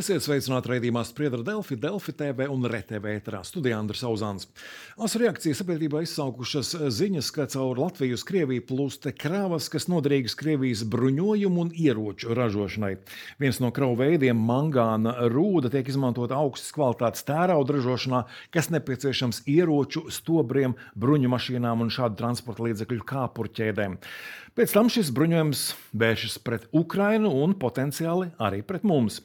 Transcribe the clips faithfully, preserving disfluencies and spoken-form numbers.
Esiet sveicināti raidījumā Spriedra Delfi, Delfi T V un RTV ēterā. Studijā Andris Auzāns. Asu reakcijas sabiedrībā izsaukušas ziņas, ka caur Latviju uz Krieviju plūst kravas, kas noderīgas Krievijas bruņojumu un ieroču ražošanai. Viens no kravu veidiem, mangāna rūda, tiek izmantota augstas kvalitātes tērauda ražošanā, kas nepieciešams ieroču, stobriem, bruņu mašīnām un šādu transporta līdzekļu kāpurķēdēm. Pēc tam šis bruņojums vēršas pret Ukrainu un potenciāli arī pret mums.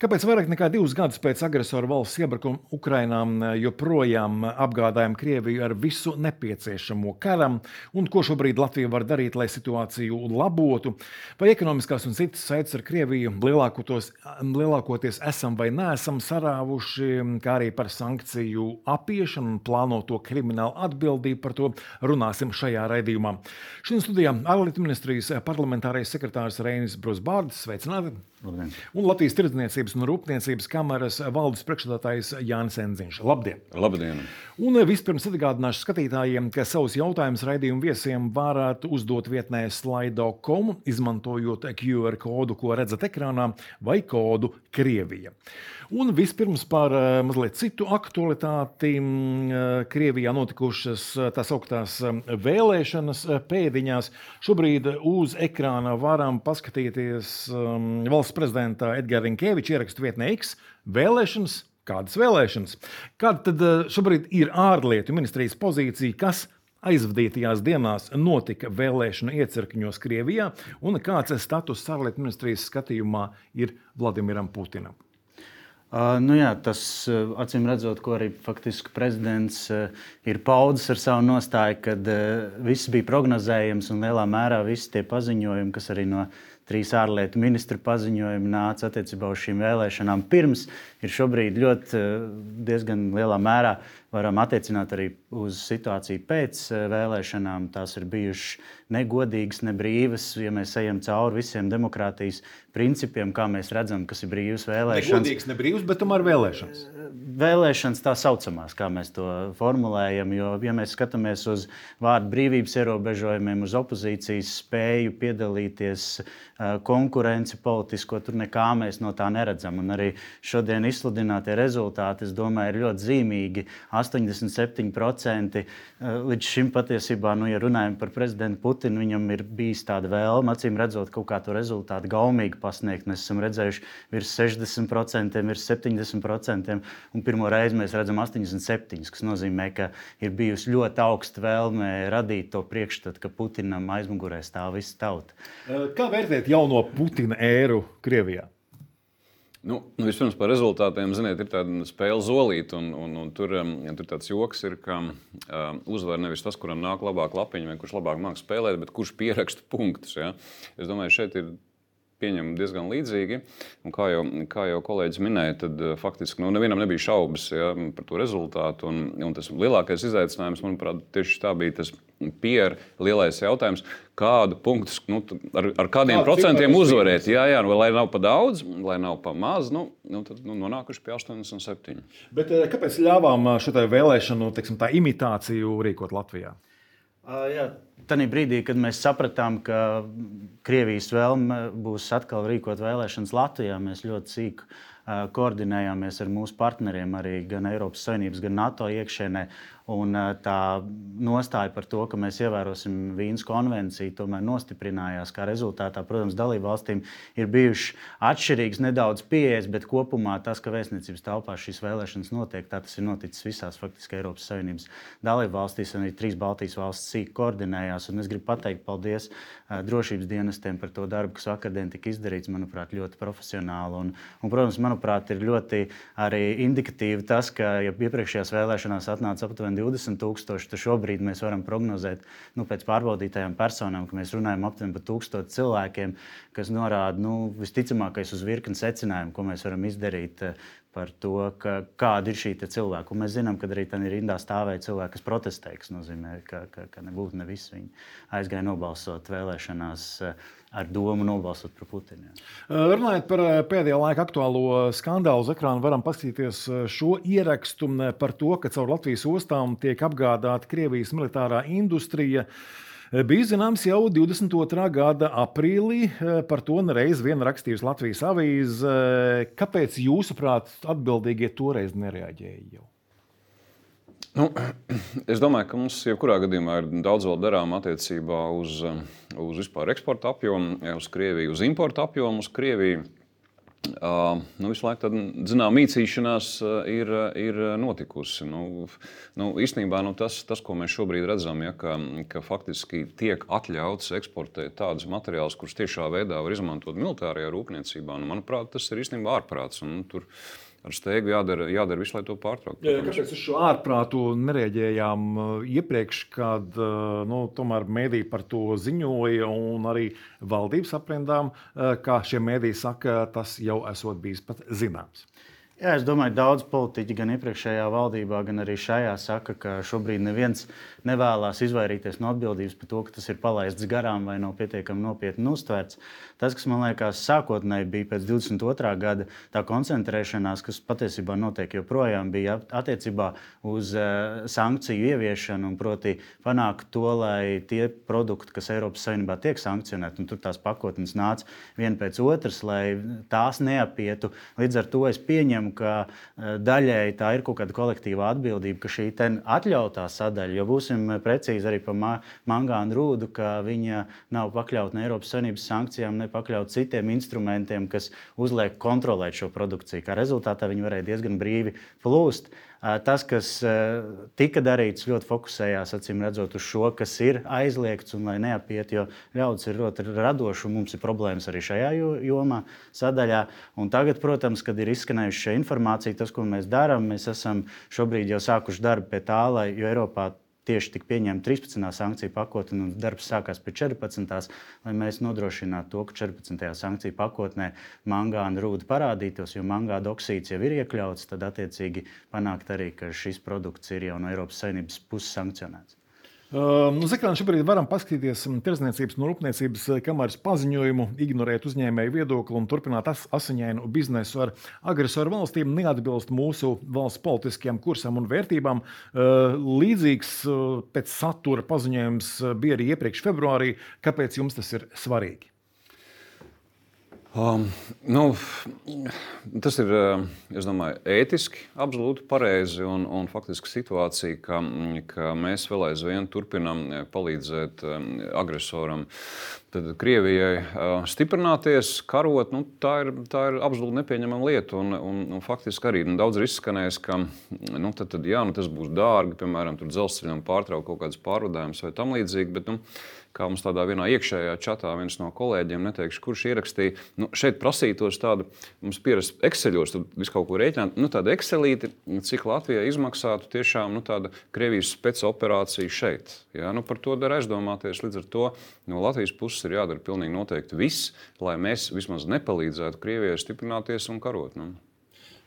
Kāpēc vairāk nekā divus gadus pēc agresoru valsts iebrukuma Ukrainā joprojām apgādājam Krieviju ar visu nepieciešamo karam, un ko šobrīd Latvija var darīt, lai situāciju labotu? Vai ekonomiskās un citas saites ar Krieviju lielākoties esam vai neesam sarāvuši, kā arī par sankciju apiešanu un plānoto kriminālu atbildību? Par to runāsim šajā raidījumā. Šodien studijā ārlietu ministrijas parlamentārais sekretārs Reinis Brūsbārdis, sveicināti! Labdien. Un Latvijas tirdzniecības un rūpniecības kameras valdes priekšsēdētājs Jānis Enziņš. Labdien! Labdien! Un vispirms atgādināšu skatītājiem, ka savus jautājumus raidījumu viesiem varētu uzdot vietnē slido punktu com, izmantojot Q R kodu, ko redzat ekrānā, vai kodu Krievija. Un vispirms par mazliet citu aktualitāti. Krievijā notikušas tās augtās vēlēšanas pēdiņās. Šobrīd uz ekrāna varam paskatīties valsts prezidenta Edgara Rinkēviča ierakstu vietnē X vēlēšanas. Kādas vēlēšanas? Kāda tad šobrīd ir ārlietu ministrijas pozīcija, kas aizvadītajās dienās notika vēlēšanu iecirkņos Krievijā, un kāds status ārlietu ministrijas skatījumā ir Vladimiram Putinam? Uh, nu jā, tas, uh, acīm redzot, ko arī faktiski prezidents uh, ir paudis ar savu nostāju, kad uh, viss bija prognozējams un lielā mērā visi tie paziņojumi, kas arī no trīs ārlietu ministru paziņojumi nāca attiecībā uz šīm vēlēšanām pirms, ir šobrīd ļoti uh, diezgan lielā mērā varam attiecināt arī uz situāciju pēc vēlēšanām. Tās ir bijušas negodīgas, nebrīvas, ja mēs ejam cauri visiem demokrātijas principiem, kā mēs redzam, kas ir brīvas vēlēšanas. Negodīgas, nebrīvas, bet tomēr vēlēšanas. Vēlēšanas tā saucamās, kā mēs to formulējam, jo, ja mēs skatāmies uz vārdu brīvības ierobežojumiem, uz opozīcijas spēju piedalīties, konkurenci politisko, tur nekā mēs no tā neredzam. Un arī šodien izsludinātie rezultāti, es domāju, ir ļoti zīmīgi. astoņdesmit septiņi procenti līdz šim patiesībā, nu, ja runājam par prezidentu Putinu, viņam ir bijis tāda vēlme, acīm redzot, kaut kā to rezultātu gaumīgi pasniegt. Mēs esam redzējuši virs sešdesmit procentiem, virs septiņdesmit procentiem, un pirmo reizi mēs redzam astoņdesmit septiņi, kas nozīmē, ka ir bijusi ļoti augsta vēlme radīt to priekšstatu, ka Putinam aizmugurē stāv visa tauta. Kā vērtēt jauno Putina ēru Krievijā? Nu, nu, vispirms par rezultātiem, ziniet, ir tāda spēle zolīt, un, un, un tur, um, tur tāds joks ir, ka um, uzvar nevis tas, kuram nāk labāk lapiņa, vai kurš labāk māk spēlēt, bet kurš pieraksta punktus. Ja? Es domāju, šeit ir pieņemami diezgan līdzīgi, un kā jau, kā jau kolēģis minēja, tad uh, faktiski nu, nevienam nebija šaubas, ja, par to rezultātu, un, un tas lielākais izaicinājums, manuprāt, tieši tā bija tas Pierre lielais jautājums, kādu punktus, nu, ar, ar kādiem Kādu procentiem uzvarēt. Jā, jā, nu, lai nav pa daudz, lai nav pa maz, nu, nu tad nu, nonākuši pie astoņdesmit septiņi. Bet kāpēc ļāvām šo vēlēšanu, teiksim, tā imitāciju rīkot Latvijā? Uh, jā, tanī brīdī, kad mēs sapratām, ka Krievijas vēlme būs atkal rīkot vēlēšanas Latvijā, mēs ļoti sīk uh, koordinējāmies ar mūsu partneriem arī gan Eiropas Savienības, gan NATO iekšienē. Un tā nostāja par to, ka mēs ievērosim Vīnes konvenciju, tomēr nostiprinājās. Kā rezultātā, protams, dalībvalstīm ir bijušas atšķirīgas nedaudz pieejas, bet kopumā tas, ka vēstniecības telpā šīs vēlēšanas notiek, tā tas ir noticis visās faktiski Eiropas Savienības dalībvalstīs, un arī trīs Baltijas valstis sīk koordinējās. Un es gribu pateikt paldies drošības dienestiem par to darbu, kas vakardien tika izdarīts, manuprāt, ļoti profesionāli. Un, un, protams, manuprāt, ir ļoti arī indikatīvi tas, ka ja iepriekšējās vēlēšanās atnāca aptuveni divdesmit tūkstoši, tad šobrīd mēs varam prognozēt nu, pēc pārbaudītajām personām, ka mēs runājam aptuveni par tūkstošu cilvēkiem, kas norāda nu, visticamākais uz virkni secinājumu, ko mēs varam izdarīt par to, ka, kāda ir šī cilvēka. Un mēs zinām, ka arī tā rindā stāvēja cilvēki, kas protestē, kas nozīmē, ka, ka, ka nebūtu ne visi viņi aizgāja nobalsot vēlēšanās ar domu nobalsot par Putinu. Runājot par pēdējā laika aktuālo skandālu uz ekrāna, varam paskatīties šo ierakstu par to, ka caur Latvijas ostām tiek apgādāta Krievijas militārā industrija. bija zināms jau divdesmit otrā gada aprīlī. Par to reiz vien rakstījusi Latvijas avīze. Kāpēc jūsuprāt atbildīgie toreiz nereaģēja jau? Nu, es domāju, ka mums jebkurā gadījumā ir daudz vēl darām attiecībā uz, uz vispār eksporta apjomu, uz Krieviju, uz importa apjomu uz Krieviju. Uh, nu, visu laiku tāda, zinām, mīcīšanās uh, ir, ir notikusi. Nu, nu, īstenībā nu, tas, tas, ko mēs šobrīd redzam, ja, ka, ka faktiski tiek atļauts eksportēt tādus materiālus, kurus tiešā veidā var izmantot militārajā rūpniecībā, nu, manuprāt, tas ir īstenībā ārprāts. Un, tur ar steigu jādara, jādara visu, lai to pārtrauktu. Kāpēc uz šo ārprātu nereaģējām iepriekš, kad nu, tomēr mēdī par to ziņoja un arī valdības aprindām, kā šie mēdī saka, tas jau esot bijis pat zināms? Jā, es domāju, daudz politiķi gan iepriekšējā valdībā, gan arī šajā saka, ka šobrīd neviens nevēlas izvairīties no atbildības par to, ka tas ir palaists garām vai nav pietiekami nopietni uztverts. Tas, kas man liekas sākotnēji bija pēc divdesmit otrā gada, tā koncentrēšanās, kas patiesībā notiek joprojām, bija attiecībā uz uh, sankciju ieviešanu un proti panākt to, lai tie produkti, kas Eiropas Savienībā tiek sankcionēti, un tur tās pakotnes nāca viena pēc otras, lai tās neapietu. Līdz ar to es pieņemu, ka daļēji tā ir kaut kāda kolektīvā atbildība, ka šī atļautā sadaļa, jo būsim precīzi arī par mangānu rūdu, ka viņa nav pakļauta ne Eiropas Savienības sankcijām, ne pakļauta citiem instrumentiem, kas uzliek kontrolēt šo produkciju. Kā rezultātā viņi varēja diezgan brīvi plūst. Tas, kas tika darīts, ļoti fokusējās, acīm redzot, uz šo, kas ir aizliegts un lai neapiet, jo ļaudis ir ļoti radoši un mums ir problēmas arī šajā jomā sadaļā. Un tagad, protams, kad ir izskanējuši šī informācija, tas, ko mēs darām, mēs esam šobrīd jau sākuši darbu pie tā, lai, jo Eiropā tieši tika pieņemta trīspadsmitā sankciju pakotne un darbs sākās pie četrpadsmitās, lai mēs nodrošinātu to, ka četrpadsmitajā sankciju pakotnē mangāna rūda parādītos, jo mangāna oksīds jau ir iekļauts, tad attiecīgi panākt arī, ka šis produkts ir jau no Eiropas Savienības puses sankcionēts. Uh, nu, Zekrāni, šobrīd varam paskatīties Tirdzniecības un Rūpniecības kameras paziņojumu, ignorēt uzņēmēju viedokli un turpināt as asiņainu biznesu ar agresoru valstīm, neatbilst mūsu valsts politiskajam kursam un vērtībām. Uh, līdzīgs uh, pēc satura paziņojums bija arī iepriekš februārī. Kāpēc jums tas ir svarīgi? Um, nu, tas ir, es domāju, ētiski absolūti pareizi un, un faktiski situācija, ka, ka mēs vēl aizvien turpinam palīdzēt agresoram, tad Krievijai stiprināties, karot, nu, tā ir, tā ir absolūti nepieņemama lieta. Un, un, un faktiski arī nu, daudz ir izskanējis, ka nu, tad, tad, jā, nu, tas būs dārgi, piemēram, tur dzelzceļam pārtraukt kaut kādas pārvadājumus vai tam līdzīgi, bet nu, kā mums tādā vienā iekšējā čatā viens no kolēģiem, neteikšu, kurš ierakstīja, nu, šeit prasītos tādu, mums pierast Exceļos, tad visu kaut ko rēķināt, nu, tāda Excelīti, cik Latvijai izmaksātu tiešām, nu, tāda Krievijas specoperācija šeit. Jā, nu, par to dar aizdomāties, līdz ar to no Latvijas puses ir jādara pilnīgi noteikti viss, lai mēs vismaz nepalīdzētu Krievijai stiprināties un karot. Nu.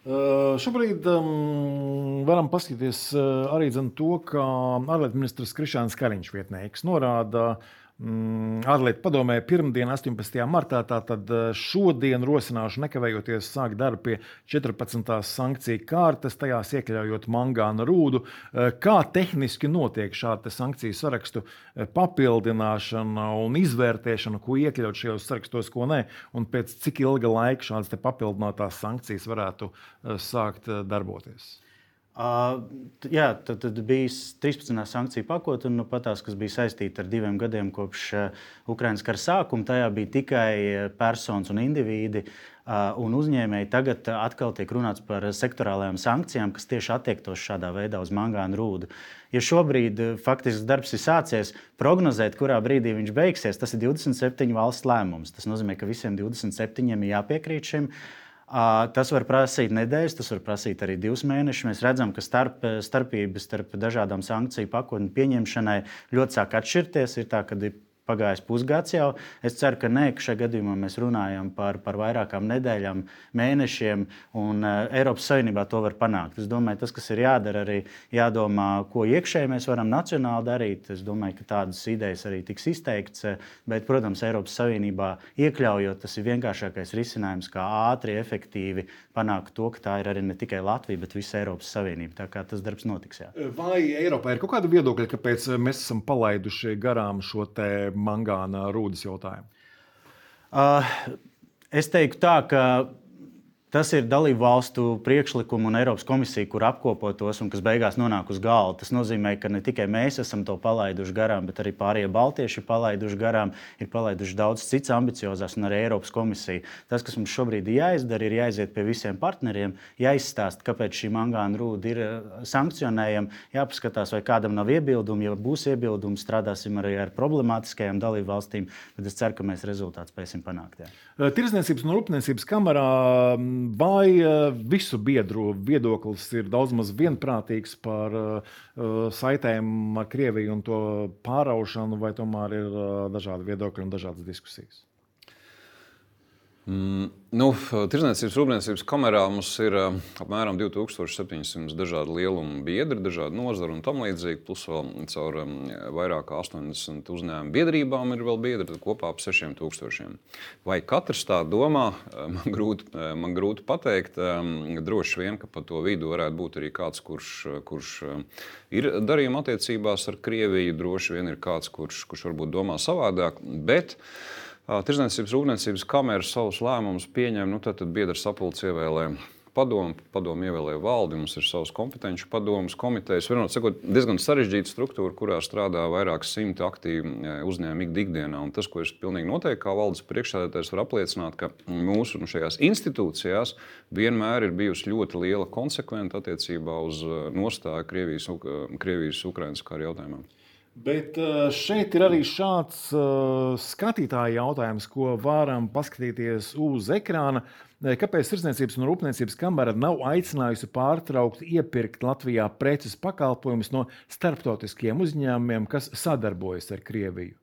Uh, šobrīd um, varam paskatīties uh, arī zin, to, ka ārlietu ministrs Krišjāns Kariņš vietnieks norāda um, ārlietu padomē pirmdien, astoņpadsmitajā martā, tātad šodien rosināšu nekavējoties sākt darbu pie četrpadsmitās sankciju kārtas, tajās iekļaujot mangāna rūdu. Uh, kā tehniski notiek šāda sankciju sarakstu papildināšana un izvērtēšana, ko iekļaut šajos sarakstos, ko nē, un pēc cik ilga laika šādas te papildinātās sankcijas varētu sākt darboties? Uh, jā, tad, tad bija trīspadsmitā sankciju pakotne, un nu, patās, kas bija saistīta ar diviem gadiem kopš uh, Ukrainas kara sākuma. Tajā bija tikai personas un indivīdi uh, un uzņēmēji. Tagad uh, atkal tiek runāts par sektorālajām sankcijām, kas tieši attiektos šādā veidā uz mangāna rūdu. Ja šobrīd uh, faktiski darbs ir sācies, prognozēt, kurā brīdī viņš beigsies, tas ir divdesmit septiņu valstu lēmums. Tas nozīmē, ka visiem divdesmit septiņiem ir jāpiekrīt šim. Uh, tas var prasīt nedēļas, tas var prasīt arī divus mēnešus. Mēs redzam, ka starp, starpības starp dažādām sankciju pakotņu pieņemšanai ļoti sāk atšķirties. Ir tā, ka ir pagājis pusgads jau. Es ceru, ka nē, ka šajā gadījumā mēs runājam par, par vairākām nedēļām, mēnešiem, un uh, Eiropas Savienībā to var panākt. Es domāju, tas, kas ir jādara, arī jādomā, ko iekšēji mēs varam nacionāli darīt. Es domāju, ka tādas idejas arī tiks izteikts, bet, protams, Eiropas Savienībā iekļaujot, tas ir vienkāršākais risinājums, kā ātri, efektīvi panākt to, ka tā ir arī ne tikai Latvija, bet visa Eiropas Savienība. Tā kā tas darbs notiks. Jā. Vai Eiropā ir kaut kāda viedokļa, kāpēc mēs esam palaiduši garām šo te mangāna rūdas jautājumu? Uh, es teiktu tā, ka tas ir dalību valstu priekšlikumu un Eiropas komisija, kur apkopo tos un kas beigās nonāk uz galda. Tas nozīmē, ka ne tikai mēs esam to palaiduši garām, bet arī pārējie baltieši ir palaiduši garām, ir palaiduši daudz cits ambiciozās un arī Eiropas komisija. Tas, kas mums šobrīd ir jāizdara, ir jāiziet pie visiem partneriem, jāizstāst, kāpēc šī mangāna rūda ir sankcionējama, jāpaskatās, vai kādam nav iebildumi. Ja būs iebildumi, strādāsim arī ar problemātiskajām dalību valstīm, bet es ceru, ka mēs rezultātu spēsim panākt. Jā. Tirzniecības un rūpniecības kamerā vai visu biedru viedoklis ir daudz maz vienprātīgs par uh, saitēm ar Krieviju un to pāraušanu, vai tomēr ir uh, dažādi viedokļi un dažādas diskusijas? Mm, nu, Tirzniecības rūpniecības kamerā mums ir uh, apmēram divi tūkstoši septiņsimt dažādi lielumi biedri, dažādi nozari un tam līdzīgi, plus vēl caur um, vairāk kā astoņdesmit uzņēmumu biedrībām ir vēl biedri, tad kopā ap sešiem tūkstošiem. Vai katrs tā domā, man grūti, man grūti pateikt, um, droši vien, ka pa to vidu varētu būt arī kāds, kurš, kurš ir darījuma attiecībās ar Krieviju, droši vien ir kāds, kurš, kurš varbūt domā savādāk, bet Tirzniecības rūpniecības kamera savus lēmumus pieņem, nu tad, tad biedra sapulce ievēlē padomu, padomu ievēlē valdi, mums ir savs kompetenci padomus, komitejas, vienot sakot, diezgan sarežģīta struktūra, kurā strādā vairākas simti aktīvi uzņēmumi ikdienā. Un tas, ko es pilnīgi noteikti kā valdes priekšsēdētājs varu apliecināt, ka mūsu nu, šajās institūcijās vienmēr ir bijusi ļoti liela konsekventa attiecībā uz nostāju Krievijas, Krievijas Ukrainas kara jautājumā. Bet šeit ir arī šāds uh, skatītāja jautājums, ko varam paskatīties uz ekrāna. Kāpēc Tirzniecības un rūpniecības kamera nav aicinājusi pārtraukt iepirkt Latvijā preces pakalpojumus no starptautiskiem uzņēmumiem, kas sadarbojas ar Krieviju?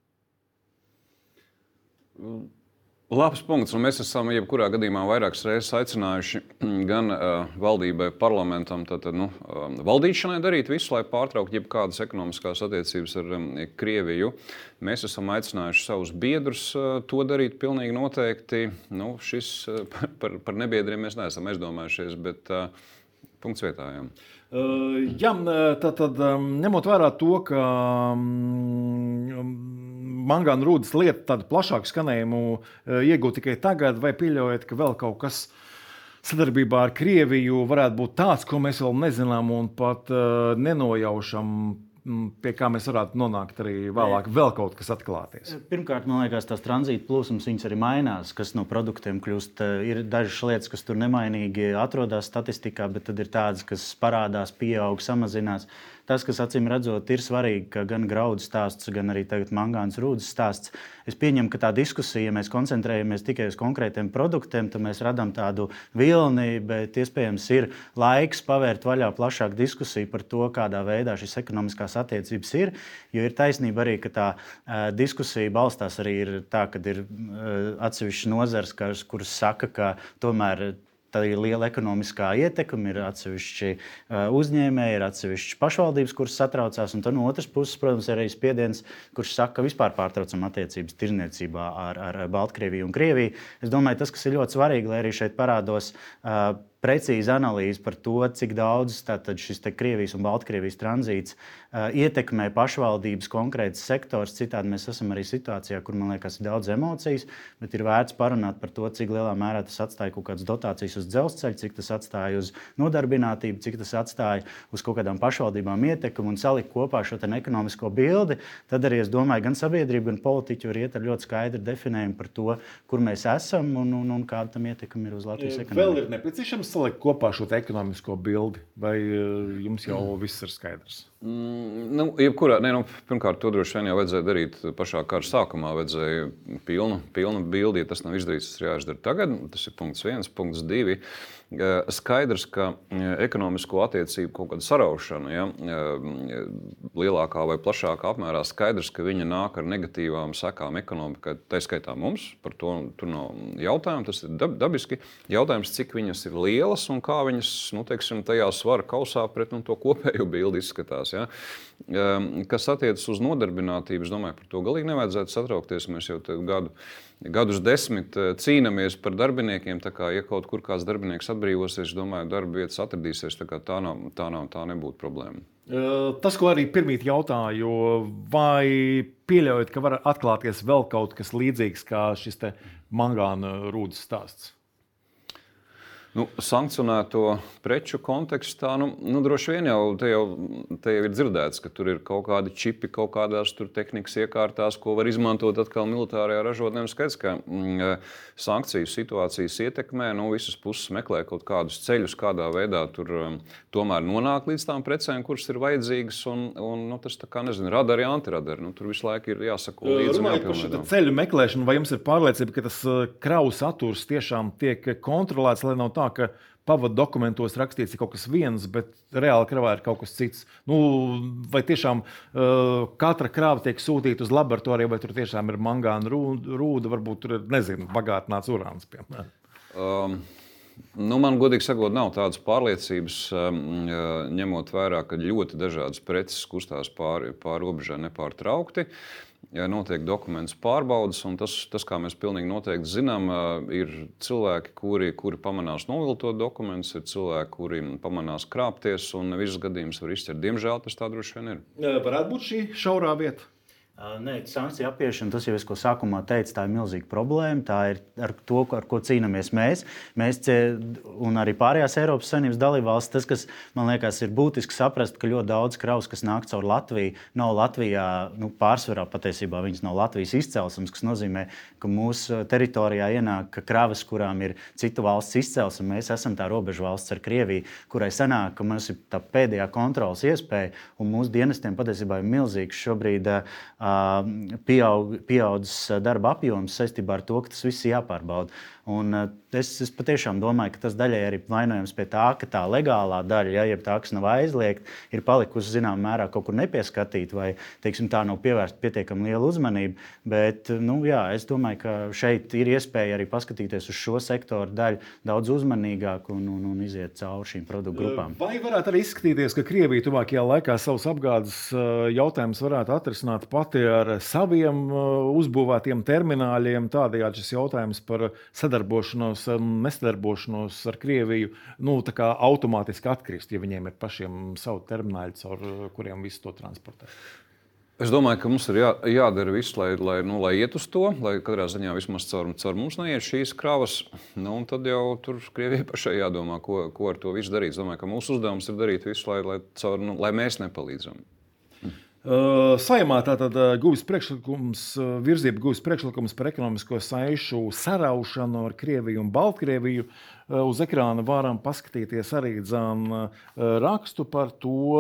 Labs punkts, un mēs esam jebkurā gadījumā vairākas reizes aicinājuši gan uh, valdībai, parlamentam, tātad, nu, uh, valdīšanai darīt visu, lai pārtrauktu jebkādas ekonomiskās attiecības ar um, Krieviju. Mēs esam aicinājuši savus biedrus uh, to darīt pilnīgi noteikti. Nu, šis uh, par, par nebiedriem mēs neesam aizdomājušies, bet uh, punkts vietā. Jā. Uh, jā, tad, tad ņemot vērā to, ka um, mangāna rūdas lieta tādu plašāku skanējumu iegūt tikai tagad, vai pieļaujat, ka vēl kaut kas sadarbībā ar Krieviju varētu būt tāds, ko mēs vēl nezinām un pat uh, nenojaušam, pie kā mēs varētu nonākt arī vēlāk, vēl kaut kas atklāties? Pirmkārt, man liekas, tās tranzīta plūsmas viņas arī mainās, kas no produktiem kļūst. Ir dažas lietas, kas tur nemainīgi atrodas statistikā, bet tad ir tādas, kas parādās, pieaug, samazinās. Tas, kas acīm redzot, ir svarīgi, ka gan graudu stāsts, gan arī tagad mangānas rūdas stāsts. Es pieņemu, ka tā diskusija, ja mēs koncentrējamies tikai uz konkrētiem produktiem, tad mēs radām tādu vilni, bet iespējams ir laiks pavērt vaļā plašāku diskusiju par to, kādā veidā šīs ekonomiskās attiecības ir. Jo ir taisnība arī, ka tā uh, diskusija balstās arī ir tā, ka ir uh, atsevišķas nozares, kuras saka, ka tomēr tā ir liela ekonomiskā ietekme, ir atsevišķi uh, uzņēmēji, ir atsevišķi pašvaldības, kuras satraucās, un tad no otras puses, protams, ir arī spiediens, kurš saka, ka vispār pārtraucam attiecības tirdzniecībā ar, ar Baltkrieviju un Krieviju. Es domāju, tas, kas ir ļoti svarīgi, lai arī šeit parādos uh, precīza analīze par to, cik daudz tātad šis te Krievijas un Baltkrievijas tranzīts uh, ietekmē pašvaldības konkrētas sektors. Citādi mēs esam arī situācijā, kur, man liekas, ir daudz emocijas, bet ir vērts parunāt par to, cik lielā mērā tas atstāja kaut kādas dotācijas uz dzelzceļu, cik tas atstāja uz nodarbinātību, cik tas atstāja uz kaut kādām pašvaldībām ietekmi un salikt kopā šo te ekonomisko bildi. Tad arī, es domāju, gan sabiedrība, gan politiķi var iet ar ļoti skaidru definējumu par to, kur mēs esam un, un, un kāda tam ietekme ir uz Latvijas ekonomiku. Vēl ir nepieciešams salikt kopā šo ekonomisko bildi, vai jums jau viss ir skaidrs? Mm, nu, jebkurā, ne, nu, pirmkārt, to droši vien jau vajadzēja darīt pašā kara sākumā. Vajadzēja pilnu, pilnu bildi, ja tas nav izdarīts, tas ir jāizdara tagad. Tas ir punkts viens, punkts divi. Skaidrs, ka ekonomisko attiecību kaut kāda saraušana, ja, lielākā vai plašākā apmērā, skaidrs, ka viņa nāk ar negatīvām sekām ekonomikai, tā skaitā mums. Par to tur nav jautājumu, tas ir dabiski. Jautājums, cik viņas ir lielas un kā viņas, nu, teiksim, tajā svara kausā pret nu, to kopējo bildi izskatās. Ja. Kas attiecas uz nodarbinātību, es domāju, par to galīgi nevajadzētu satraukties. Mēs jau gadu, gadus desmit cīnāmies par darbiniekiem, tā kā, ja kaut kur kāds darbinieks atbrīvosies, es domāju, darba vietas atradīsies, tā kā tā nav, tā nav, tā nebūtu problēma. Tas, ko arī pirmīt jautāju, vai pieļaujat, ka var atklāties vēl kaut kas līdzīgs kā šis te mangāna rūdas stāsts? Nu, sankcionēto preču kontekstā, nu, nu droši vien jau te, jau te jau ir dzirdēts, ka tur ir kaut kādi čipi, kaut kādās tur tehnikas iekārtās, ko var izmantot atkal militārajā ražotnē. Skaidrs, ka mm, sankciju situācijas ietekmē, nu, visas puses meklē kaut kādus ceļus, kādā veidā tur um, tomēr nonāk līdz tām precēm, kuras ir vajadzīgas, un, un nu, tas tā kā, nezinu, radari, antiradari. Nu, tur visu laiku ir jāsako līdzi. Runājot par šo ceļu meklēšanu, vai jums ir pārliecība, ka tas kravu saturs tiešām tiek kontrolēts, lai nav tā, ka pavadu dokumentos rakstīts ir kaut kas viens, bet reāli kravā ir kaut kas cits. Nu, vai tiešām uh, katra krāva tiek sūtīta uz laboratoriju, vai tur tiešām ir mangāna rūda, varbūt tur ir, nezinu, bagātināts urāns, piemēram? Um. Nu, man, godīgi sakot, nav tādas pārliecības, ņemot vērā, ka ļoti dažādas preces kustās pāri, pāri robežai nepārtraukti. Ja notiek dokumentu pārbaudes, un tas, tas, kā mēs pilnīgi noteikti zinām, ir cilvēki, kuri, kuri pamanās noviltot dokumentus, ir cilvēki, kuri pamanās krāpties, un ne visus gadījumus var izķert. Diemžēl tas tā droši vien ir. Varētu būt šī šaurā vieta? Nē, sankciju apiešana, tas jau es ko sākumā teicu, tā ir milzīga problēma. Tā ir ar to, ar ko cīnāmies mēs. Mēs un arī pārējās Eiropas Savienības dalībvalstis. Tas, kas man liekas, ir būtiski saprast, ka ļoti daudz kravas, kas nāk caur Latviju, nav Latvijā, nu, pārsvarā patiesībā viņas nav Latvijas izcelsmes, kas nozīmē, ka mūsu teritorijā ienāk kravas, kurām ir citu valsts izcelsme. Mēs esam tā robežu valsts ar Krieviju, kurai sanāk, ka mums ir tā pēdējā kontrolas iespēja, un mūsu dienestiem patiesībā ir milzīgs šobrīd Pieaug, pieaudzis darba apjoms saistībā ar to, ka tas viss ir jāpārbauda. Un es, es patiešām domāju, ka tas daļai arī vainojams pie tā, ka tā legālā daļa, ja, ja tā, kas nav aizliegta, ir palikusi zināmā mērā kaut kur nepieskatīta vai, teiksim, tā nav pievērsta pietiekami liela uzmanība. Bet, nu, jā, es domāju, ka šeit ir iespēja arī paskatīties uz šo sektoru daļu daudz uzmanīgāk un, un, un iziet cauri šīm produktu grupām. Vai varētu arī izskatīties, ka Krievija tuvākajā laikā savus apgādes jautājumus varētu atrisināt pati ar saviem uzbūvētiem termināļiem, tādējādi šis jautājums par sadarbošanos un nesadarbošanos ar Krieviju, nu, tā kā automātiski atkrist, ja viņiem ir pašiem savu termināļu, caur kuriem visu to transportē? Es domāju, ka mums ir jā, jādara viss, lai, lai, nu, lai iet uz to, lai katrā ziņā vismaz caur, caur mums neiet šīs kravas. Nu, un tad jau tur Krievijai pašai jādomā, ko, ko ar to visu darīt. Es domāju, ka mūsu uzdevums ir darīt visu, lai, lai, caur, nu, lai mēs nepalīdzam. Uh, Saeimā tātad guvis priekšlikums, virzība guvis priekšlikums par ekonomisko saišu saraušanu ar Krieviju un Baltkrieviju. Uh, uz ekrāna varam paskatīties arī dzan uh, rakstu par to.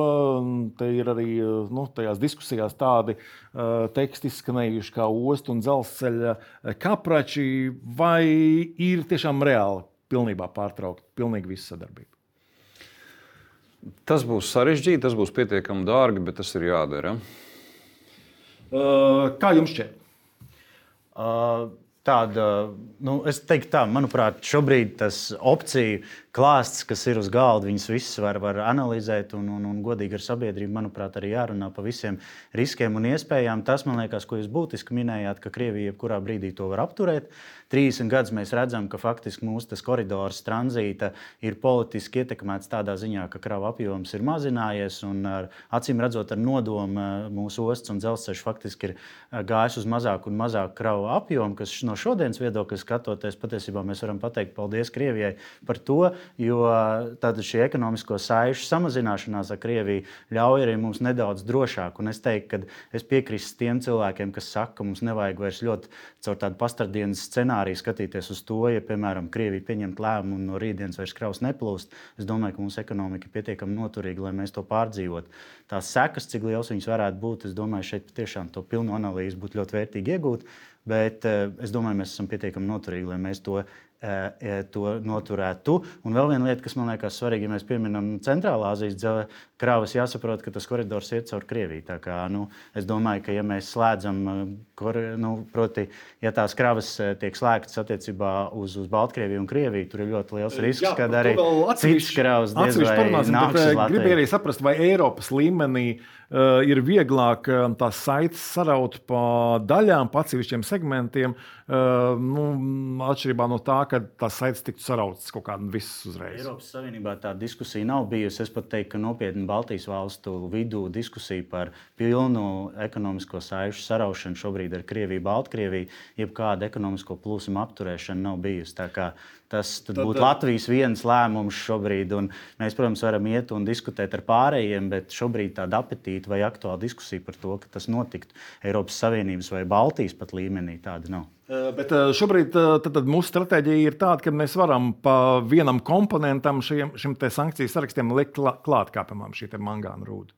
Te ir arī uh, nu, tajās diskusijās tādi uh, teksti izskanējuši kā ostu un dzelzceļa kaprači. Vai ir tiešām reāli pilnībā pārtraukt pilnīgi visu sadarbību? Tas būs sarežģīti, tas būs pietiekami dārgi, bet tas ir jādara. Uh, kā jums šķiet? Uh, tāda, nu, es teiktu tā, manuprāt, šobrīd tas opciju klāsts, kas ir uz galda, viņas visas var, var analizēt un, un, un godīgi ar sabiedrību, manuprāt, arī jārunā pa visiem riskiem un iespējām. Tas, man liekas, ko jūs būtiski minējāt, ka Krievija jebkurā brīdī to var apturēt. trīsdesmit gadus mēs redzam, ka faktiski mūsu tas koridors tranzīta ir politiski ietekmēts tādā ziņā, ka kravu apjoms ir mazinājies un ar, acīm redzot ar nodomu mūsu ostas un dzelzceļš faktiski ir gājis uz mazāku un mazāku kravu apjomu, kas no šodienas viedokļa skatoties, patiesībā mēs varam pateikt paldies Krievijai par to. jo tātad šī ekonomisko saišu samazināšanās ar Krieviju ļauj arī mums nedaudz drošāk. Un es teiktu, ka es piekrīstu tiem cilvēkiem, kas saka, ka mums nevajag vairs ļoti caur tādu pastardienas scenāriju skatīties uz to, ja, piemēram, Krievija pieņemt lēmumu un no rītdienas vairs kravas neplūst. Es domāju, ka mūsu ekonomika ir pietiekami noturīga, lai mēs to pārdzīvotu. Tās sekas, cik liels viņas varētu būt, es domāju, šeit patiešām to pilnu analīzi būtu ļoti vērtīgi iegūt, bet es domāju, mēs esam pietiekami noturīgi, lai mēs to to noturētu. Un vēl viena lieta, kas man liekas svarīga, ja mēs pieminam Centrālā Azijas kravas, jāsaprot, ka tas koridors iet caur Krieviju. Tā kā, nu, es domāju, ka ja mēs slēdzam, kor, nu, proti, ja tās kravas tiek slēgtas attiecībā uz, uz Baltkrieviju un Krieviju, tur ir ļoti liels risks, Jā, kad arī citas kravas diez vai nāks uz Latviju. Gribēju arī saprast, vai Eiropas līmenī uh, ir vieglāk uh, tās saites saraut pa daļām, pa atsevišķiem segmentiem, uh, nu, atšķirībā no tā, ka tās saites tiktu sarautas kaut kādā visas uzreiz. Eiropas Savienībā tā diskusija nav bijusi. Es pat teiktu, ka nopietni Baltijas valstu vidū diskusija par pilnu ekonomisko saišu saraušanu šobrīd ar Krieviju, Baltkrieviju, jebkāda ekonomisko plūsmu apturēšana nav bijusi. Tā kā tas tad būtu Latvijas viens lēmums šobrīd, un mēs, protams, varam iet un diskutēt ar pārējiem, bet šobrīd tāda apetīta vai aktuāla diskusija par to, ka tas notiktu Eiropas Savienības vai Baltijas pat līmenī, tāda nav. Bet šobrīd tad, tad mūsu stratēģija ir tāda, ka mēs varam pa vienam komponentam šiem, šim te sankciju sarakstiem likt klāt, kā piemēram šī te mangāna rūda.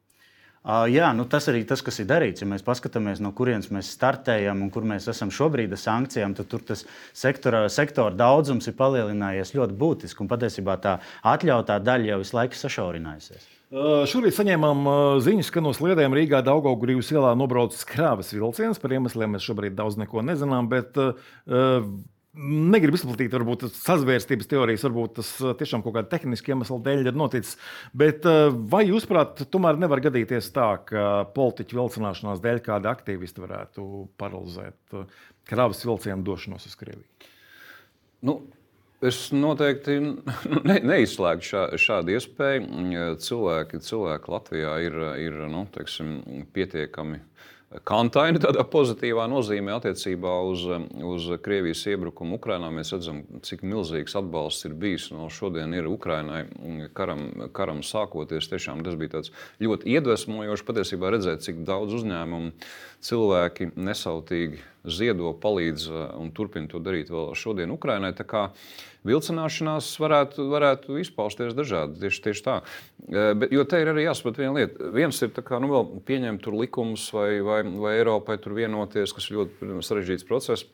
Uh, jā, nu tas arī tas, kas ir darīts. Ja mēs paskatāmies, no kurienes mēs startējam un kur mēs esam šobrīd ar sankcijām, tad tur tas sektora, sektora daudzums ir palielinājies ļoti būtiski. Un patiesībā tā atļautā daļa jau visu laiku sašaurinājusies. Uh, šorīt saņēmām uh, ziņas, ka no Sliedēm Rīgā Daugavgrīvas ielā nobraucis krāvas vilciens. Par iemesliem mēs šobrīd daudz neko nezinām, bet uh, negribu izplatīt varbūt sazvērstības teorijas, varbūt tas tiešām kaut kāda tehniska iemesla dēļ ir noticis. Bet vai jūs, prāt, tomēr nevar gadīties tā, ka politiķu vilcināšanās dēļ kādi aktīvisti varētu paralizēt kravas vilcienu došanos uz Krieviju? Nu, es noteikti ne, neizslēgtu šā, šādu iespēju. Cilvēki, cilvēki Latvijā ir, ir nu, teiksim, pietiekami kantaini tādā pozitīvā nozīmē attiecībā uz, uz Krievijas iebrukumu Ukrainā. Mēs redzam, cik milzīgs atbalsts ir bijis no šodien ir Ukrainai karam, karam sākoties. Tiešām tas bija tāds ļoti iedvesmojoši patiesībā redzēt, cik daudz uzņēmumu cilvēki nesautīgi ziedo, palīdz un turpina to darīt vēl šodien Ukrainai. Tā kā vilcināšanās varētu, varētu izpausties dažādi, tieši, tieši tā. Bet, jo te ir arī jāsaprot viena lieta. Viens ir tā kā, nu, vēl pieņemt tur likumus vai, vai, vai Eiropai tur vienoties, kas ir ļoti sarežģīts process.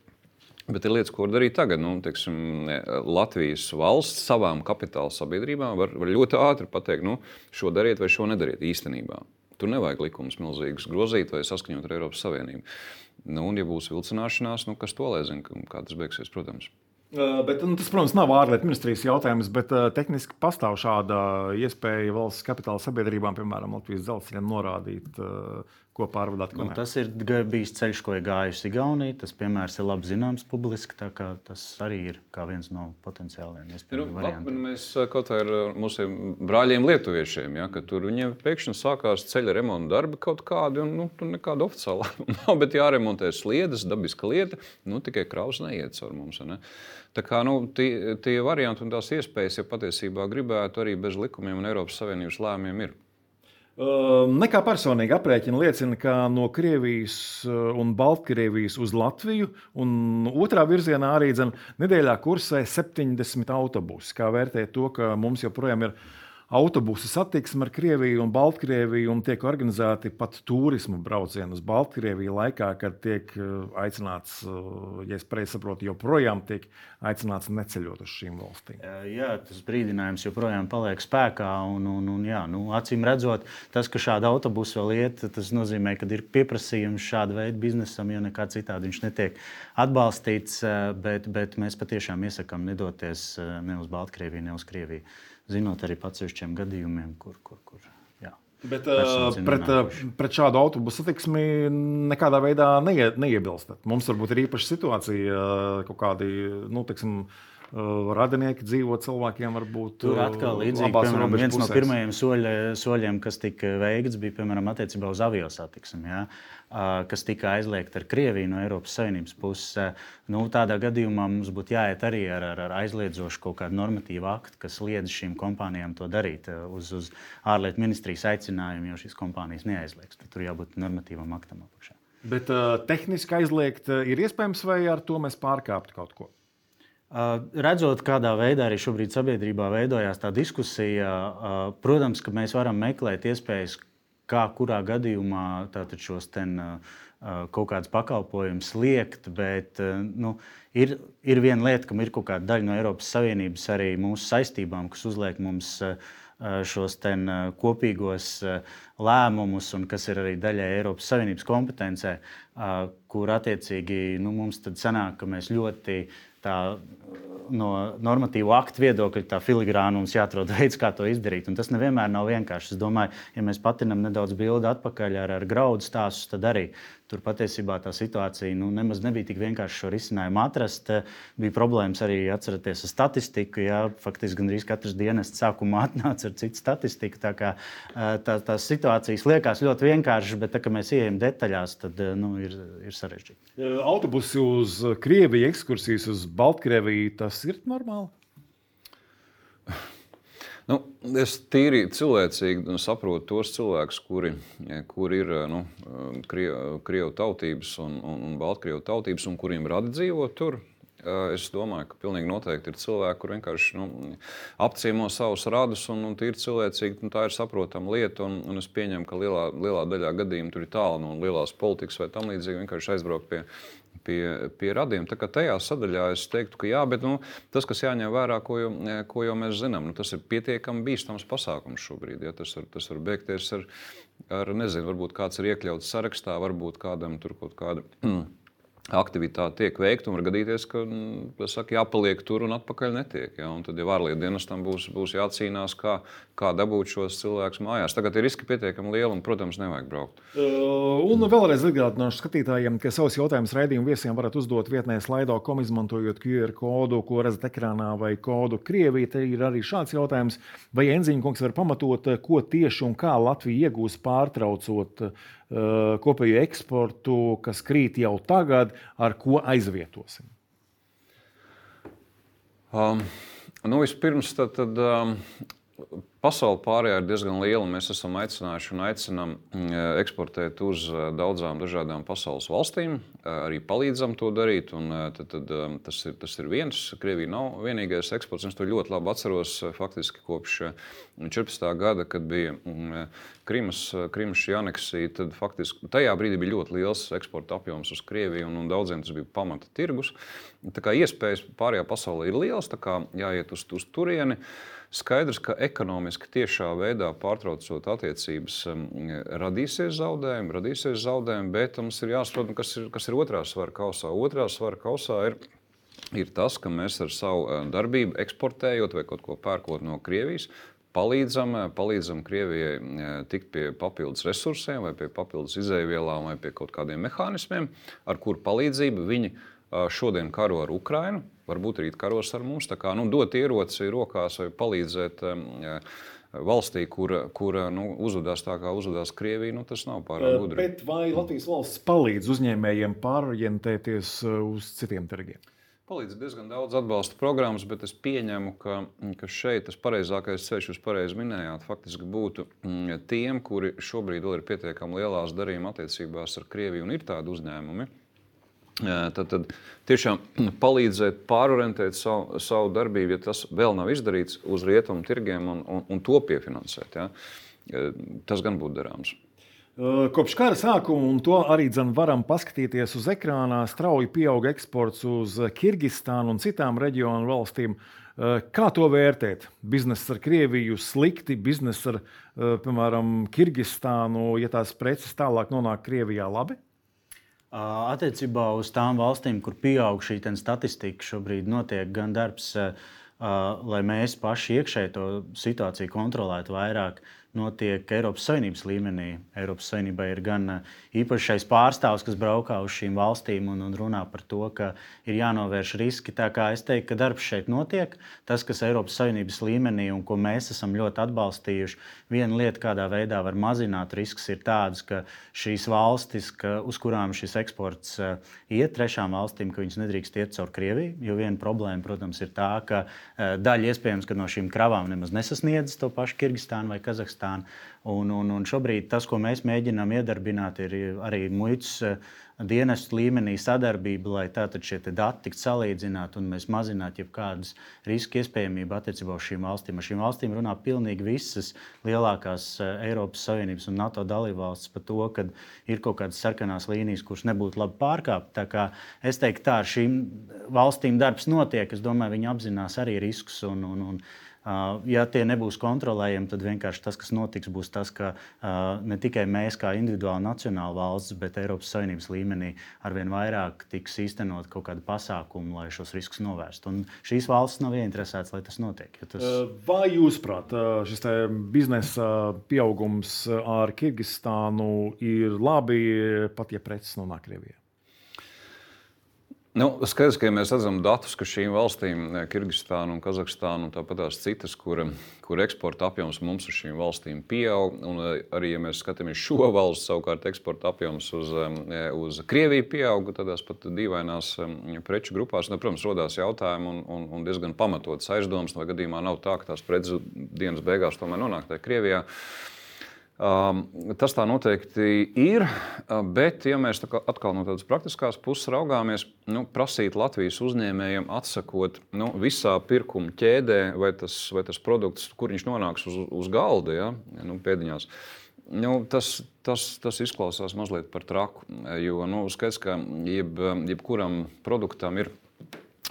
Bet ir lietas, ko var darīt tagad. Nu, teiksim, Latvijas valsts savām kapitāla sabiedrībām var, var ļoti ātri pateikt, nu, šo dariet vai šo nedariet īstenībā. Tur nevajag likumus milzīgus grozīt vai saskaņot ar Eiropas Savienību. Nu, un, ja būs vilcināšanās, nu, kas to lai zina, kā tas beigsies, protams. Uh, bet, nu, tas, protams, nav ārlietu ministrijas jautājums, bet uh, tehniski pastāv šāda iespēja valsts kapitāla sabiedrībām, piemēram, Latvijas dzelzceļam norādīt, uh, ko pārvadāt. Ko nu, tas ir bijis ceļš, ko ir gājusi Igaunija. Tas piemērs ir labi zināms publiski, tā kā tas arī ir kā viens no potenciāliem iespējamiem variantiem. Mēs kaut kā ar mūsu brāļiem lietuviešiem, ja, ka tur viņiem pēkšņi sākās ceļa remonta darbi kaut kādi, un nu, tur nekāda oficiāla nav, bet jāremontē sliedes, dabiska lieta, nu, tikai kravas neiet caur mums. Ne? Tā kā, nu, tie, tie varianti un tās iespējas, ja patiesībā gribētu, arī bez likumiem un Eiropas Savienības lēmumiem ir. Uh, nekā personīgi aprēķina liecina, ka no Krievijas un Baltkrievijas uz Latviju un otrā virzienā arī dzen, nedēļā kursē septiņdesmit autobusi. Kā vērtēt to, ka mums joprojām ir autobusu satiksme ar Krieviju un Baltkrieviju un tiek organizēti pat turismu braucieni uz Baltkrieviju laikā, kad tiek aicināts, ja es pareizi saprotu, joprojām tiek aicināts neceļot uz šīm valstīm. Jā, tas brīdinājums joprojām paliek spēkā un, un, un jā, nu, acīm redzot, tas, ka šāda autobusa vēl iet, tas nozīmē, ka ir pieprasījums šāda veida biznesam, jo nekā citādi viņš netiek atbalstīts, bet, bet mēs patiešām iesakām nedoties ne uz Baltkrieviju, ne uz Krieviju. Zinot arī atsevišķiem gadījumiem, kur, kur, kur jā. Bet uh, pret, pret šādu autobusu satiksmi nekādā veidā neie, neiebilstat. Mums varbūt ir īpaša situācija, kaut kādi, nu, teiksim, radinieki dzīvo cilvēkiem varbūt tur atkal līdzīgi, piemēram, viens no pirmajiem soļa, soļiem, kas tika veikts, bija, piemēram, attiecībā uz aviosatiksmi, ja, kas tika aizliegta ar Krieviju no Eiropas Savienības puses. Nu, tādā gadījumā mums būtu jāiet arī ar, ar, ar aizliedzošu kaut kādu normatīvu aktu, kas liedz šīm kompānijām to darīt uz, uz ārlietu ministrijas aicinājumu, jo šīs kompānijas neaizliegs. Tur jābūt normatīvam aktam apakšā. Bet uh, tehniski aizliegt ir iespējams, vai ar to mēs pārkāptu kaut ko? Redzot, kādā veidā arī šobrīd sabiedrībā veidojās tā diskusija, protams, ka mēs varam meklēt iespējas, kā kurā gadījumā tātad šos ten, kaut kādus pakalpojumus liekt, bet nu, ir, ir viena lieta, ka ir kaut kāda daļa no Eiropas Savienības arī mūsu saistībām, kas uzliek mums šos ten kopīgos lēmumus, un kas ir arī daļai Eiropas Savienības kompetencē, kur attiecīgi nu, mums tad sanāk, ka mēs ļoti tā no normatīvu aktu viedokļa tā filigrāna mums jāatrod veids, kā to izdarīt. Un tas nevienmēr nav vienkārši. Es domāju, ja mēs patinam nedaudz bildi atpakaļ ar, ar graudu stāstus, tad arī tur patiesībā tā situācija nu, nemaz nebija tik vienkārši šo risinājumu atrast. Bija problēmas arī atceraties ar statistiku. Jā, faktiski gandrīz katrs dienests sākumā atnāca ar citu statistiku. Tā kā tā, tās situācijas liekas ļoti vienkāršas, bet tā, kad mēs ieejam detaļās, tad nu, ir, ir sarežģīti. Autobusi uz Krieviju, ekskursijas uz Baltkrieviju, tas ir normāli? Nu, es tīri cilvēcīgi saprotu tos cilvēkus, kuri, kuri ir nu, krievu, krievu tautības un, un, un baltkrievu tautības, un kuriem radi dzīvot tur. Es domāju, ka pilnīgi noteikti ir cilvēki, kur vienkārši nu, apciemo savus radus, un, un tīri cilvēcīgi nu, tā ir saprotama lieta. Un, un es pieņemu, ka lielā, lielā daļā gadījumu tur ir tālu no lielās politikas vai tam līdzīgi vienkārši aizbraukt pie. Pie, pie radiem. Tā kā tajā sadaļā es teiktu, ka jā, bet nu, tas, kas jāņem vērā, ko jau, ko jau mēs zinām, nu, tas ir pietiekami bīstams pasākums šobrīd. Ja? Tas, var, tas var beigties ar, ar, nezinu, varbūt kāds ir iekļauts sarakstā, varbūt kādam tur kaut kāda aktivitāte tiek veikta un var gadīties, ka saka, jāpaliek tur un atpakaļ netiek. Ja? Un tad jau ārlietu dienestam būs, būs jācīnās, kā, kā dabūt šos cilvēkus mājās. Tagad ir riski pietiekami lieli un, protams, nevajag braukt. Uh, un vēlreiz atgādināšu skatītājiem, ka savus jautājumus raidījumu viesiem varat uzdot vietnē slaido punkt com, izmantojot Q R kodu, ko redzat ekrānā, vai kodu Krievija. Te ir arī šāds jautājums. Vai Enziņa kungs var pamatot, ko tieši un kā Latvija iegūs pārtraucot uh, kopējo eksportu, kas krīt jau tagad, ar ko aizvietosim? Um, nu, vispirms tad, tad um, pasaule pārējā ir diezgan liela. Mēs esam aicinājuši un aicinām eksportēt uz daudzām dažādām pasaules valstīm. Arī palīdzam to darīt. Un tad, tad, tas, ir, tas ir viens. Krievija nav vienīgais eksports. Es to ļoti labi atceros faktiski kopš četrpadsmitā gada, kad bija Krimas, Krimas aneksija. Tad faktiski tajā brīdī bija ļoti liels eksporta apjoms uz Krieviju un, un daudziem tas bija pamata tirgus. Tā kā iespējas pārējā pasaulē ir liels, tā kā jāiet uz, uz turieni. Skaidrs, ka ekonomiski tiešā veidā pārtraucot attiecības radīsies zaudējumi, radīsies zaudējumi, bet mums ir jāsaprot, kas ir, kas ir otrā svara kausā. Otrā svara kausā ir, ir tas, ka mēs ar savu darbību eksportējot vai kaut ko pērkot no Krievijas, palīdzam, palīdzam Krievijai tikt pie papildus resursiem vai pie papildus izēvielām vai pie kaut kādiem mehānismiem, ar kuru palīdzību viņi šodien karo ar Ukrainu, varbūt rīt karos ar mums. Tā kā nu, dot ieroci rokās vai palīdzēt um, valstī, kura, kura nu, uzvedās tā, kā uzvedās Krievija, nu, tas nav pārāk gudri. Bet vai Latvijas valsts palīdz uzņēmējiem pārorientēties uz citiem tirgiem? Palīdz diezgan daudz atbalsta programmas, bet es pieņemu, ka, ka šeit tas pareizākais ceļš, jūs pareizi minējāt, faktiski būtu tiem, kuri šobrīd vēl ir pietiekami lielās darījuma attiecībās ar Krieviju un ir tādi uzņēmumi. Tad, tad tiešām palīdzēt pārorientēt savu, savu darbību, ja tas vēl nav izdarīts, uz rietumu tirgiem un, un, un to piefinansēt. Ja? Tas gan būtu darāms. Kopš kara sākuma, un to arī dzen varam paskatīties uz ekrānā, strauji pieauga eksports uz Kirgistānu un citām reģionu valstīm. Kā to vērtēt? Bizness ar Krieviju slikti, bizness ar, piemēram, Kirgistānu, ja tās preces tālāk nonāk Krievijā, labi? Attiecībā uz tām valstīm, kur pieaug šī statistika, šobrīd notiek gan darbs, lai mēs paši iekšēji to situāciju kontrolētu vairāk, notiek Eiropas Savienības līmenī. Eiropas Savienībai ir gan īpašais pārstāvs, kas braukā uz šīm valstīm un, un runā par to, ka ir jānovērš riski. Tā kā es teiktu, ka darbs šeit notiek. Tas, kas Eiropas Savienības līmenī un ko mēs esam ļoti atbalstījuši, viena lieta, kādā veidā var mazināt riskus, ir tādas, ka šīs valstis, ka, uz kurām šis eksports uh, iet trešām valstīm, ka viņas nedrīkst iet caur Krieviju. Jo viena problēma, protams, ir tā, ka uh, daļa iespējams, ka no šīm kravām nemaz nesasniedz to pašu Kirgistānu vai Kazahstānu. Un, un, un šobrīd tas, ko mēs mēģinām iedarbināt, ir arī muitas dienestu līmenī sadarbība, lai tātad šie dati tiktu salīdzināti un mēs mazinātu jebkādas riska iespējamību attiecībā uz šīm valstīm. Ar šīm valstīm runā pilnīgi visas lielākās Eiropas Savienības un NATO dalībvalstis par to, ka ir kaut kādas sarkanās līnijas, kuras nebūtu labi pārkāpt. Tā kā es teiktu, tā ar šīm valstīm darbs notiek. Es domāju, viņi apzinās arī riskus un, un, un ja tie nebūs kontrolējami, tad vienkārši tas, kas notiks, būs tas, ka ne tikai mēs kā individuāli nacionāli valsts, bet Eiropas Savienības līmenī arvien vairāk tiks īstenot kaut kādu pasākumu, lai šos riskus novērstu. Un šīs valstis nav ieinteresētas, lai tas notiek. Tas... Vai jūsuprāt, šis biznesa pieaugums ar Kirgistānu ir labi, pat ja preces nonāk Krievijā? Nu, skaidrs, ka ja mēs redzam datus, ka šīm valstīm, Kirgistānu un Kazahstānu un tāpat tās citas, kur, kur eksporta apjoms mums uz šīm valstīm pieaug, un arī, ja mēs skatāmies šo valstu, savukārt eksporta apjoms uz, uz Krieviju pieaug, tādās pat dīvainās preču grupās, nu, protams, rodās jautājumi un, un, un diezgan pamatotas aizdomas, vai gadījumā nav tā, ka tās preces dienas beigās tomēr nonāk tajā Krievijā. Um, tas tā noteikti ir, bet, ja mēs tā kā atkal no tādas praktiskās puses raugāmies, nu, prasīt Latvijas uzņēmējiem atsakot nu, visā pirkuma ķēdē, vai tas, vai tas produkts, kur viņš nonāks uz, uz galda, ja, nu, pēdiņās, nu, tas, tas, tas izklausās mazliet par traku, jo nu, skaidrs, ka jeb, jebkuram produktam ir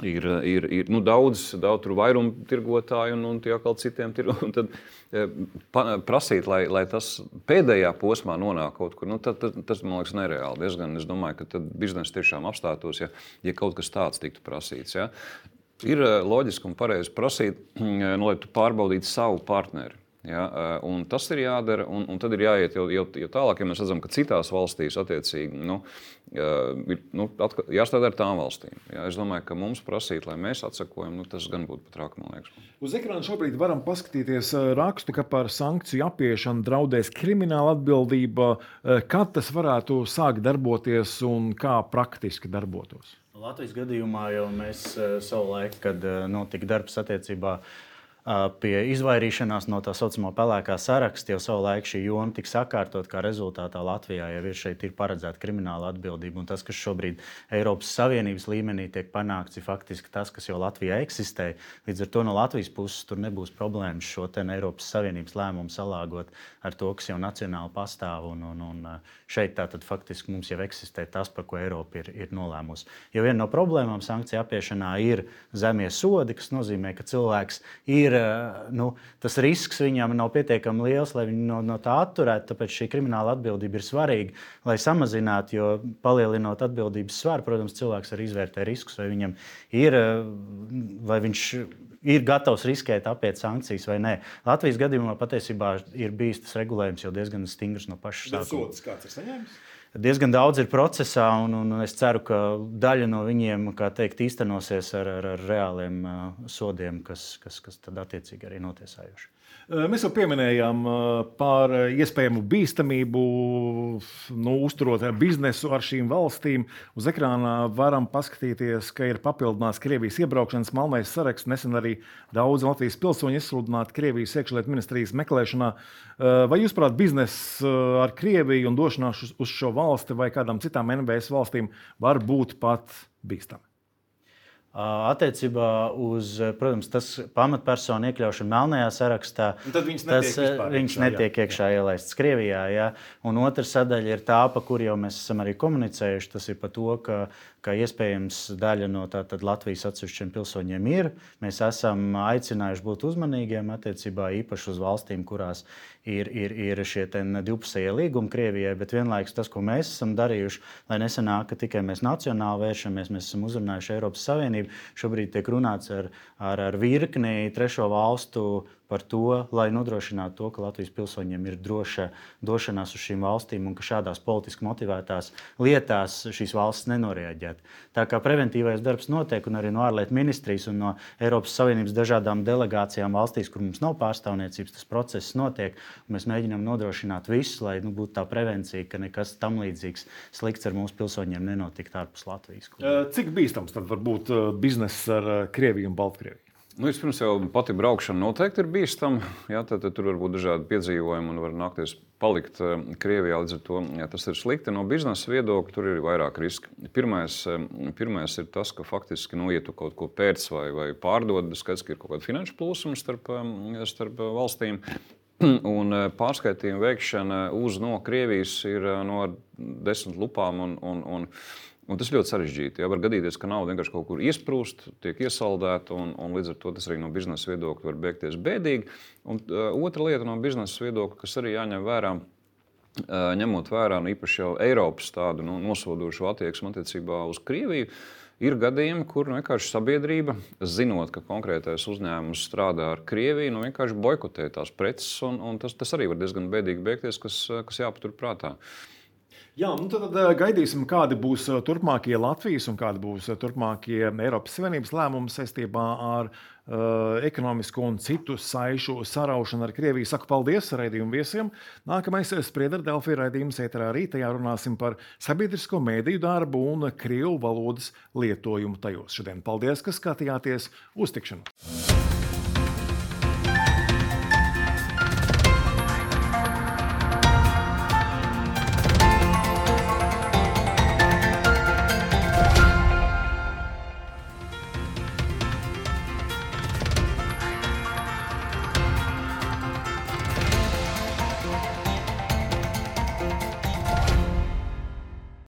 Ir, ir, ir nu, daudz, daudz vairumu tirgotāju un, un tie atkal citiem tirgotājiem. Tad pa, prasīt, lai, lai tas pēdējā posmā nonāk kaut kur, nu, tad, tad, tas man liekas nereāli. Diezgan, es domāju, ka tad biznesa tiešām apstātos, ja, ja kaut kas tāds tiktu prasīts. Ja. Ir loģiski un pareizi prasīt, nu, lai tu pārbaudītu savu partneri. Ja, un tas ir jādara, un, un tad ir jāiet jau, jau, jau tālāk, ja mēs redzam, ka citās valstīs attiecīgi nu, ir nu, jāstrādā ar tām valstīm. Ja, es domāju, ka mums prasīt, lai mēs atsakojam, nu, tas gan būtu pat rāk, man liekas. Uz ekrāna šobrīd varam paskatīties rakstu, ka par sankciju apiešanu draudēs krimināla atbildība. Kad tas varētu sākt darboties un kā praktiski darbotos? Latvijas gadījumā jau mēs savulaik, kad notika darbs attiecībā pie izvairīšanās no tā saucamā pelēkā saraksta, jau savulaik šī joma tika sakārtot, kā rezultātā Latvijā jau ir šeit ir paredzēta krimināla atbildība. Un tas, kas šobrīd Eiropas Savienības līmenī tiek panākts, ir faktiski tas, kas jau Latvijā eksistē. Līdz ar to no Latvijas puses tur nebūs problēmas šo te Eiropas Savienības lēmumu salāgot ar to, kas jau nacionāli pastāv. Un, un, un šeit tātad faktiski mums jau eksistē tas, par ko Eiropa ir, ir nolēmusi. Jo viena no problēmām sankciju apiešanā ir zemie sodi, kas nozīmē, ka cilvēks ir Nu, tas risks viņam nav pietiekami liels, lai viņu no, no tā atturētu. Tāpēc šī krimināla atbildība ir svarīga, lai samazinātu, jo palielinot atbildības svaru, protams, cilvēks arī izvērtē riskus, vai viņam ir, vai viņš ir gatavs riskēt apiet sankcijas vai nē. Latvijas gadījumā patiesībā ir bijis tas regulējums jau diezgan stingrs no paša sākuma. Bet sods kāds ir saņēmis? Diezgan daudz ir procesā, un, un es ceru, ka daļa no viņiem, kā teikt, īstenosies ar, ar, ar reāliem uh, sodiem, kas, kas, kas tad attiecīgi arī notiesājuši. Mēs jau pieminējām par iespējamu bīstamību, nu, uzturot biznesu ar šīm valstīm. Uz ekrāna varam paskatīties, ka ir papildināts Krievijas iebraukšanas melnais saraksts. Nesen arī daudz Latvijas pilsoņu izsludināti Krievijas iekšlietu ministrijas meklēšanā. Vai jūs prāt, bizness ar Krieviju un došanās uz šo valsti vai kādām citām N B S valstīm var būt pat bīstami? Attiecībā uz, protams, tas pamatpersonu iekļaušanu melnajā sarakstā, viņš tas netiek, viņš netiek jā, iekšā jā. ielaists Krievijā. Jā. Un otra sadaļa ir tā, pa kur jau mēs esam arī komunicējuši, tas ir par to, ka, ka iespējams daļa no tātad Latvijas atsevišķiem pilsoņiem ir. Mēs esam aicinājuši būt uzmanīgiem attiecībā īpaši uz valstīm, kurās ir, ir, ir šie divpusējie līgumi Krievijai, bet vienlaikus tas, ko mēs esam darījuši, lai nesanāk, ka tikai mēs nacionāli vēršamies, mēs esam uzrunājuši Eiropas Savienību. Šobrīd tiek runāts ar, ar, ar virkni trešo valstu par to, lai nodrošinātu to, ka Latvijas pilsoņiem ir droša došanās uz šīm valstīm un ka šādās politiski motivētās lietās šīs valstis nenorēģēt. Tā kā preventīvais darbs notiek, un arī no ārlietu ministrijas un no Eiropas Savienības dažādām delegācijām valstīs, kur mums nav pārstāvniecības, tas process notiek. Mēs mēģinām nodrošināt visu, lai nu, būtu tā prevencija, ka nekas tam līdzīgs slikts ar mūsu pilsoņiem nenotikt ārpus Latvijas. Cik bīstams tad var būt bizness ar Krieviju un Baltkrieviju? Nu, vispirms jau pati braukšana noteikti ir bīstama. Jā, tad, tad tur var būt dažādi piedzīvojumi un var nākties palikt Krievijā. Līdz ar to jā, tas ir slikti. No biznesa viedokļa tur ir vairāk riski. Pirmais, pirmais ir tas, ka faktiski nu, ja tu kaut ko pērc vai, vai pārdod, skaidrs, ka ir kaut kāda finanšu plūsuma starp, starp valstīm. Un pārskaitījuma veikšana uz no Krievijas ir no desmit lupām un, un, un Un tas ļoti sarežģīti. Jā, var gadīties, ka nauda vienkārši kaut kur iesprūst, tiek iesaldēta, un, un līdz ar to tas arī no biznesa viedokļa var beigties bēdīgi. Un uh, otra lieta no biznesa viedokļa, kas arī jāņem vērā, uh, ņemot vērā nu, īpaši jau Eiropas tādu nu, nosodošu attieksmi attiecībā uz Krieviju, ir gadījumi, kur nu, vienkārši sabiedrība, zinot, ka konkrētais uzņēmums strādā ar Krieviju, nu, vienkārši boikotē tās preces, un, un tas, tas arī var diezgan bēdīgi beigties, kas, kas jāpatur prātā. Jā, nu tad gaidīsim, kādi būs turpmākie Latvijas un kādi būs turpmākie Eiropas Savienības lēmumi saistībā ar uh, ekonomisko un citu saišu saraušanu ar Krieviju. Saku paldies raidījumu viesiem. Nākamais Spriedra Delfi raidījums ēterā rītajā runāsim par sabiedrisko mēdīju darbu un krievu valodas lietojumu tajos. Šodien paldies, ka skatījāties. Uz tikšanos!